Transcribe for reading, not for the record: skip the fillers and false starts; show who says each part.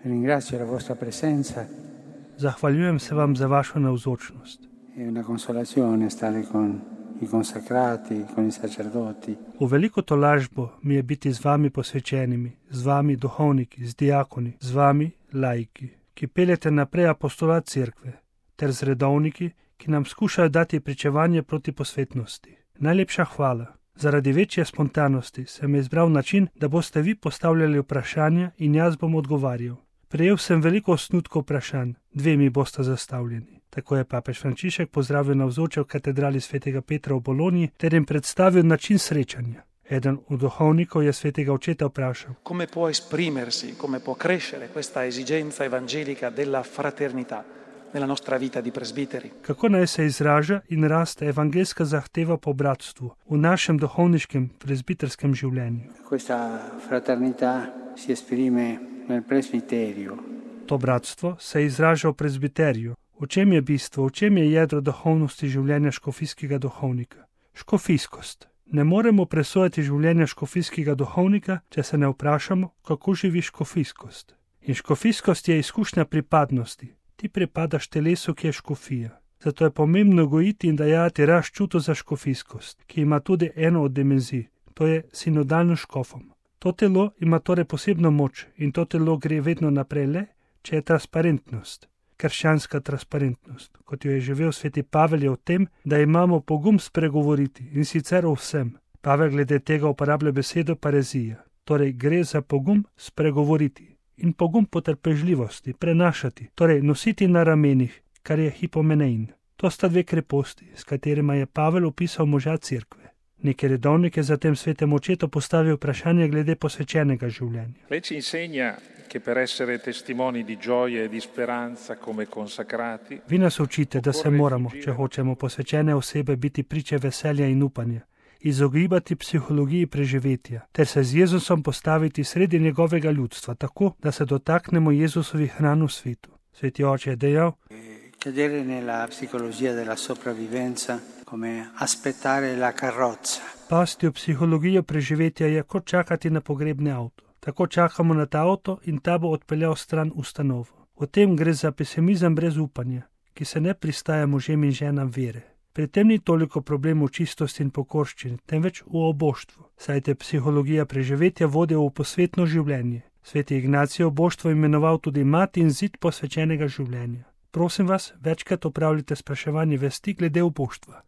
Speaker 1: Ringrazio la vostra presenza.
Speaker 2: Zahvaljujem se vam za vašo navzočnost.
Speaker 1: È una consolazione stare con i consacrati, con i sacerdoti.
Speaker 2: V veliko tolažbo mi je biti z vami posvečenimi, z vami duhovniki, z diakoni, z vami laiki, ki peljete naprej apostolat cerkve, ter z redovniki, ki nam skušajo dati pričevanje proti posvetnosti. Najlepša hvala. Zaradi večje spontanosti sem izbral način, da boste vi postavljali vprašanja in jaz bom odgovarjal. Prejel sem veliko osnutkov vprašanj, 2 mi bosta zastavljeni. Tako je papež Frančišek pozdravil navzoče v katedrali svetega Petra v Bologni ter jim predstavil način srečanja. Eden od duhovnikov je svetega očeta vprašal:
Speaker 3: Come può esprimersi, come può crescere questa esigenza evangelica della fraternità nella nostra vita di presbiteri?
Speaker 2: Kako naj se izraža in raste evangeljska zahteva po bratstvu v našem duhovniškem presbiterskem življenju?
Speaker 1: Questa fraternità si esprime nel presbiterio.
Speaker 2: To bratstvo se izraža v presbiteriju. V čem je bistvo, v čem je jedro duhovnosti življenja škofijskega duhovnika? Škofijskost. Ne moremo presojati življenja škofijskega duhovnika, če se ne vprašamo, kako živi škofijskost. In škofijskost je izkušnja pripadnosti. Ti pripadaš telesu, ki je škofija. Zato je pomembno gojiti in dajati rast čutu za škofijskost, ki ima tudi eno od dimenzij, to je sinodalno škofom. To telo ima torej posebno moč in to telo gre vedno naprej le, če je transparentnost. Krščanska transparentnost, kot jo je živel sveti Pavel, je v tem, da imamo pogum spregovoriti in sicer o vsem. Pavel glede tega uporablja besedo parezija, torej gre za pogum spregovoriti in pogum potrpežljivosti, prenašati, torej nositi na ramenih, kar je hipomenein. To sta 2 kreposti, s katerima je Pavel opisal moža cerkve. Neki redovnik je zatem svetemu očetu postavil vprašanje glede posvečenega življenja.
Speaker 4: Lei ci insegna che per essere testimoni di gioia e di speranza come consacrati.
Speaker 2: Vi nas učite, da se moramo, če hočemo posvečene osebe, biti priče veselja in upanja, izogibati psihologiji preživetja, ter se z Jezusom postaviti sredi njegovega ljudstva, tako, da se dotaknemo Jezusovih ran v svetu. Sveti oče je dejal:
Speaker 1: Cadere nella psicologia della sopravvivenza come aspettare la carrozza.
Speaker 2: Pasti v psihologijo preživetja je kot čakati na pogrebni avto. Tako čakamo na ta avto in ta bo odpeljal stran ustanovo. V tem gre za pesimizem brez upanja, ki se ne pristaja možem in ženam vere. Pri tem ni toliko problem v čistosti in pokorščini, temveč v oboštvu, saj te psihologija preživetja vodi v posvetno življenje. Sveti Ignacij je oboštvo imenoval tudi mati in zid posvečenega življenja. Prosim vas, večkrat opravljite spraševanje vesti glede oboštva.